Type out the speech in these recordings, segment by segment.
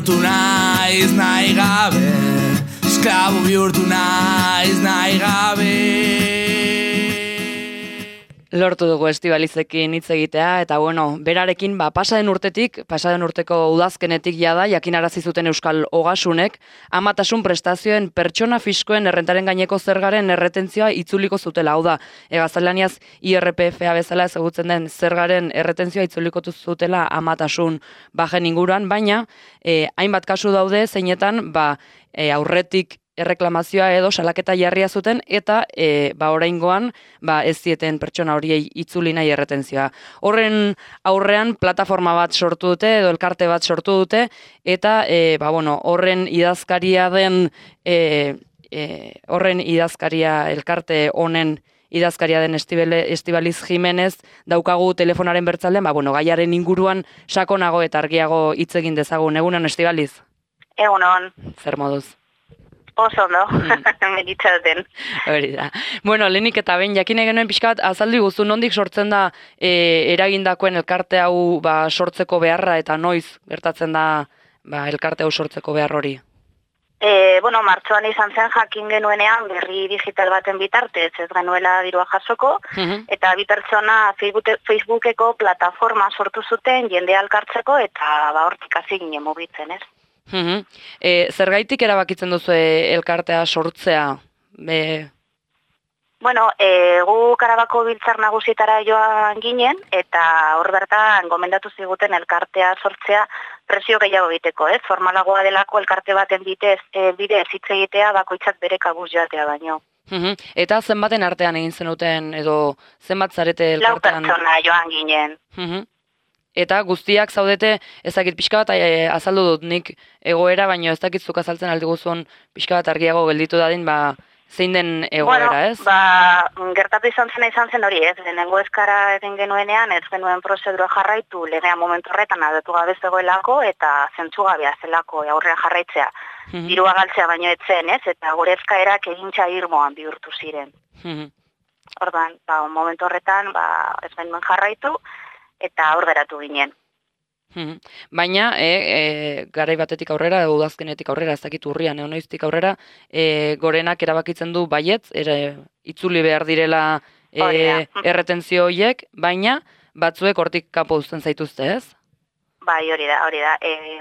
bihurtu naiz nahi gabe, esklabo bihurtu naiz nahi gabe. Lortu dugu Estibalizekin hitz egitea, eta bueno, berarekin pasaden urteko udazkenetik jada, jakinarazi zuten Euskal Ogasunek, amatasun prestazioen pertsona fiskoen errentaren gaineko zergaren erretentzioa itzuliko zutela. Hau da, gaztelaniaz IRPFa bezala ezagutzen den zergaren erretentzioa itzuliko zutela amatasun bajen inguruan, baina hainbat kasu daude zeinetan aurretik erreklamazioa edo salaketa jarria zuten eta oraingoan ez zieten pertsona horiei itzuli nahi erretentzioa. Horren aurrean plataforma bat sortu dute edo elkarte bat sortu dute eta horren idazkaria den elkarte honen idazkaria den Estibaliz Jimenez daukagu telefonaren bertzaldean, gaiaren inguruan sakonago eta argiago hitz egin dezagun. Egunon, Estibaliz? Egunon. Zer moduz? Oso ondo, meditzaten. Hori da. Lehenik eta behin, jakin genuen pixka bat, azaldu guztu, nondik sortzen da eragindakoen elkarte hau sortzeko beharra eta noiz gertatzen da elkarte hau sortzeko behar hori? Martxoan izan zen jakin genuenean berri digital baten bitartez ez genuela dirua jasoko, eta bi pertsona Facebookeko plataforma sortu zuten jendea elkartzeko eta hortik hasi ginen mugitzen, ez? Zergaitik erabakitzen duzu elkartea sortzea? Gu Karabako biltzar nagusietara joan ginen, eta hor bertan gomendatu ziguten elkartea sortzea presio gehiago egiteko, ez? Formalagoa delako elkarte baten bidez hitz egitea bakoitzak bere kabuz joatea baino. Eta zenbaten artean egin zenuten edo zenbat zarete elkartean? 4 pertsona joan ginen. Eta guztiak zaudete, ezakit pixka bat azaldu dut nik egoera, baina ez dakitzuk azaltzen aldi guzun pixka bat argiago gelditu dadin, zein den egoera, ez? Gertatu izan zen hori, ez? Lehenengo eskara egin genuenean, ez genuen prozedura jarraitu, legea momentu horretan adatu gabe zegoelako, eta zentzugabea zelako aurrean jarraitzea. Dirua galtzea baino etzen, ez? Eta gure eskaerak egintza irmoan bihurtu ziren. Ordan, momentu horretan, ez genuen jarraitu, eta hor geratu ginen. Baina, garai batetik aurrera, udazkenetik aurrera, ez dakit urrian, noiztik aurrera, gorenak erabakitzen du baietz, itzuli behar direla erretentzio horiek, baina batzuek hortik kanpo uzten zaituzte, ez? Bai, hori da.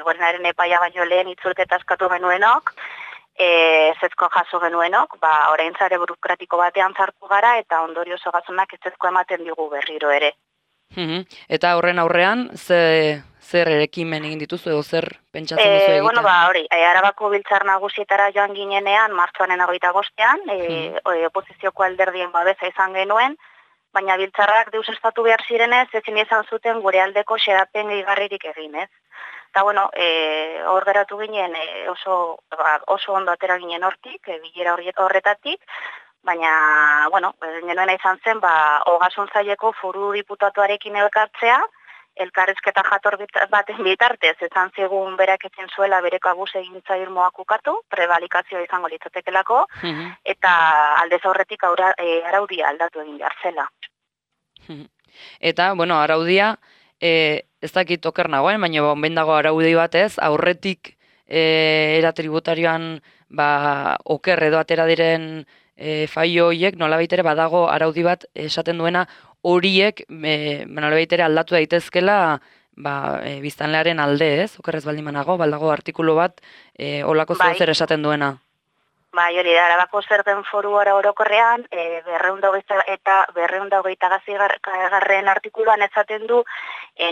Gorenaren epaia baino lehen itzulketa eskatu genuenok, ezezko jaso genuenok, orain zare burokratiko batean zartu gara, eta ondorio zogasunak ezezko ematen digu berriro ere. Eta horren aurrean, zer erekimen egin dituzu edo zer pentsatzen duzu egitea? Arabako biltzar nagusietara joan ginenean, martxoanen 25ean, oposizioko alderdien babesa izan genuen, baina biltzarrak deusestatu behar zirenez, ezin izan zuten gure aldeko xedapen gehigarririk egin, ez? Eta, hor geratu ginen oso ondo atera ginen hortik, bilera horretatik, baina, genuena izan zen, Ogasun Saileko foru diputatuarekin elkartzea, elkarrizketa jator baten bitartez, ezan zigun berak etzen zuela bere kabuz egintza irmoak ukatu, prebalikazioa izango litzatekelako, eta aldez aurretik araudia aldatu egin behar zela. Eta, araudia, ez dakit oker nagoen, baina onben dago araudi batez, aurretik era tributarioan oker edo atera diren faio horiek nolabait ere badago araudi bat esaten duena horiek nolabait ere aldatu daitezkela biztanlearen alde, ez? Okerrez baldin banago, baldago artikulu bat holako zer esaten duena. Bai, hori da, Arabako Zergen Foru orokorrean 228. artikuluan esaten du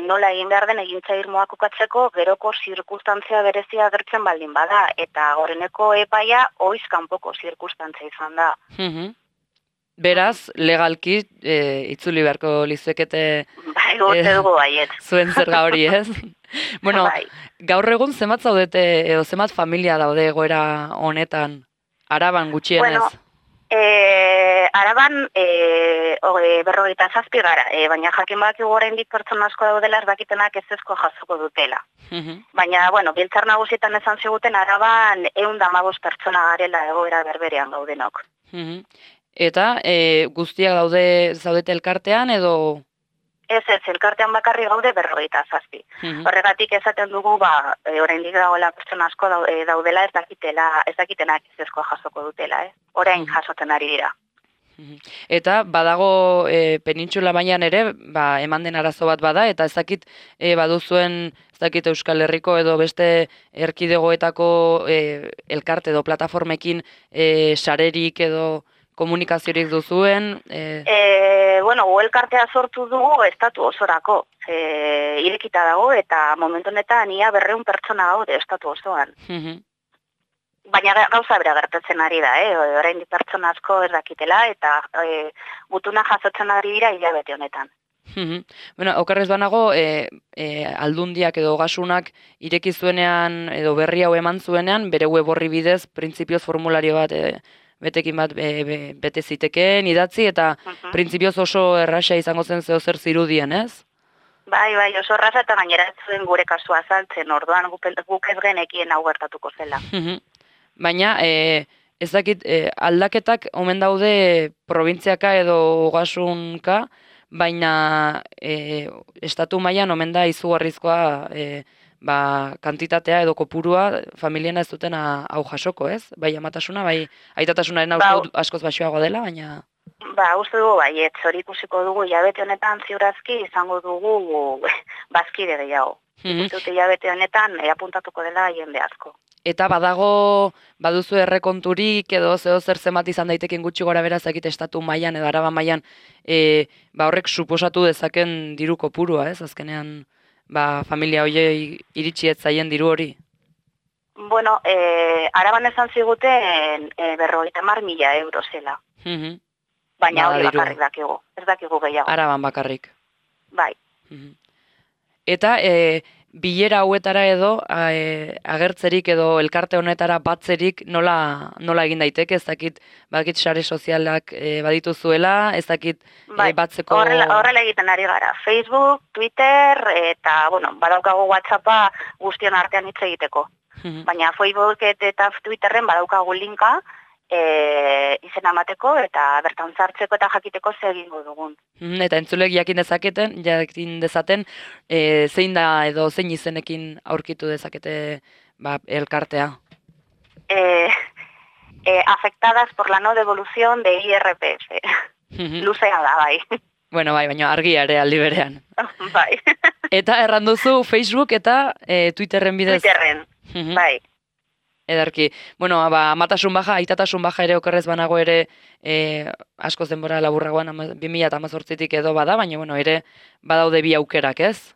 nola egin behar den egintza irmoak ukatzeko geroko zirkustantzia berezia agertzen baldin bada, eta goreneko epaia oiz kanpoko zirkustantzia izan da. Beraz, legalki itzuli beharko lizuekete zuen zerga hori, ez? Gaur egun zenbat zaudete edo zenbat familia daude egoera honetan? Araban gutxienez? Araban 57 gara, baina jakin badakigu oraindik pertsona asko daudela ez dakitenak ezezko jasoko dutela. Baina, biltzar nagusietan esan ziguten Araban 115 pertsona garela egoera berberean gaudenok. Eta guztiak zaudete elkartean edo? Ez, elkartean bakarri gaude 57. Horregatik esaten dugu, oraindik dagoela pertsona asko daudela ez dakitenak ezezkoa jasoko dutela, orain jasotzen ari dira. Eta badago penintxula baian ere, eman den arazo bat bada, eta ez dakit baduzuen, ez dakit Euskal Herriko edo beste erkidegoetako elkarte edo plataformekin sarerik edo komunikaziorik duzuen? Elkartea sortu dugu estatu osorako. Irekita dago eta momentu honetan ia 200 pertsona gaude estatu osoan. Baina gauza bera gertatzen ari da, oraindik pertsona asko ez dakitela eta gutuna jasotzen ari dira hilabete honetan. Okerrez banago, aldundiak edo ogasunak ireki zuenean edo berri hau eman zuenean, bere web orri bidez, printzipioz formulario bat betekin bat bete zitekeen, idatzi, eta printzipioz oso erraxa izango zen zeozer zirudien, ez? Bai, oso erraza eta gainera ez zuen gure kasua azaltzen, orduan guk ez genekien hau gertatuko zela. Baina, ez dakit, aldaketak omen daude probintziaka edo ogasunka, baina estatu mailan omen da izugarrizkoa kantitatea edo kopurua familiena ez duten hau jasoko, ez? Bai amatasuna, bai aitatasunaren askoz baxuago dela, baina... Uste dugu baiet, hori ikusiko dugu hilabete honetan ziurazki izango dugu bazkide gehiago. Hilabete honetan apuntatuko dela jende asko. Eta baduzu errekonturik edo zer zenbat izan daiteken gutxi gora bera zakit estatu mailan edo Araba mailan horrek suposatu dezaken diru kopurua, ez? Azkenean familia hoiei iritsi ez zaien diru hori. Bueno, Araban esan ziguten 50.000 euro zela. Baina hori bakarrik dakigu, ez dakigu gehiago. Araban bakarrik. Bai. Eta bilera hauetara edo agertzerik edo elkarte honetara batzerik nola egin daiteke, ez dakit badakit sare sozialak badituzuela, ez dakit batzeko... Horrela egiten ari gara, Facebook, Twitter, eta badaukagu WhatsAppa guztion artean hitz egiteko. Baina Facebook eta Twitterren badaukagu linka, izena emateko eta bertan sartzeko eta jakiteko zer egingo dugun. Eta entzulek jakin dezaten zein da edo zein izenekin aurkitu dezakete elkartea? Afectadas por la no devolución de IRPF. Luzea da, bai. Bueno, baina argia ere aldi berean. Bai. Eta erranduzu Facebook eta Twitterren bidez? Twitterren, bai. Ederki. Bueno, amatasun baja, aitatasun baja ere okerrez banago ere askoz denbora laburragoan 2018tik edo bada, baina ere badaude bi aukerak, ez?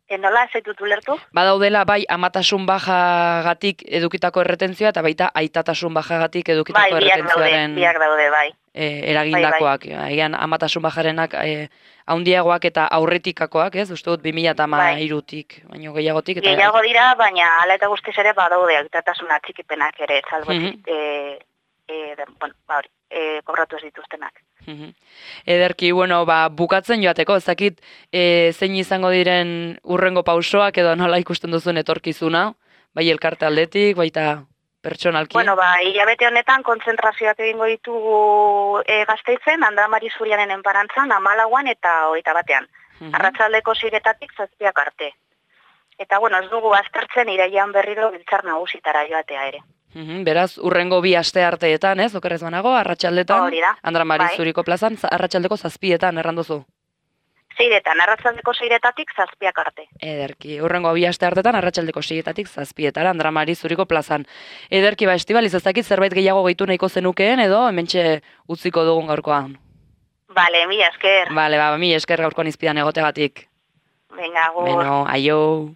Nola, ez zaitut ulertu? Badaudela bai amatasun bajagatik edukitako erretentzioa eta baita aitatasun bajagatik edukitako erretenzioaren biak daude, bai. Eragindakoak. Egan amatasun bajarenak haundiagoak eta aurretikakoak, ez? Uste dut 2013tik, baino gehiagotik. Gehiago dira, baina ala eta guztiz ere badaude aitatasuna txikipenak ere, salbotik, kobratu ez dituztenak. Ederki, bukatzen joateko, ez dakit zein izango diren urrengo pausoak edo nola ikusten duzuen etorkizuna, bai elkarte aldetik, baita pertsonalki. Hilabete honetan kontzentrazioak egingo ditugu Gasteizen, Andramari Zurianen enparantzan, 14an eta 21an. Arratsaldeko 6-etatik 7 arte. Eta ez dugu aztertzen irailean berriro biltzar nagusitara joatea ere. Beraz, urrengo 2 aste arteetan, ez? Okerrez banago, arratsaldetan, Andramari Zuriko plazan, arratsaldeko 7etan erranduzu. 6etan, arratsaldeko 6-etatik 7 arte. Ederki, urrengo 2 aste artetan, arratsaldeko 6-etatik 7etara, Andramari Zuriko plazan. Ederki, Estibaliz, ez dakit zerbait gehiago gehitu nahiko zenukeen, edo hementxe utziko dugun gaurkoan. Bale, mila esker. Bale, mila esker gaurkoan izpidan egotegatik. Venga, agur. Beno, aio.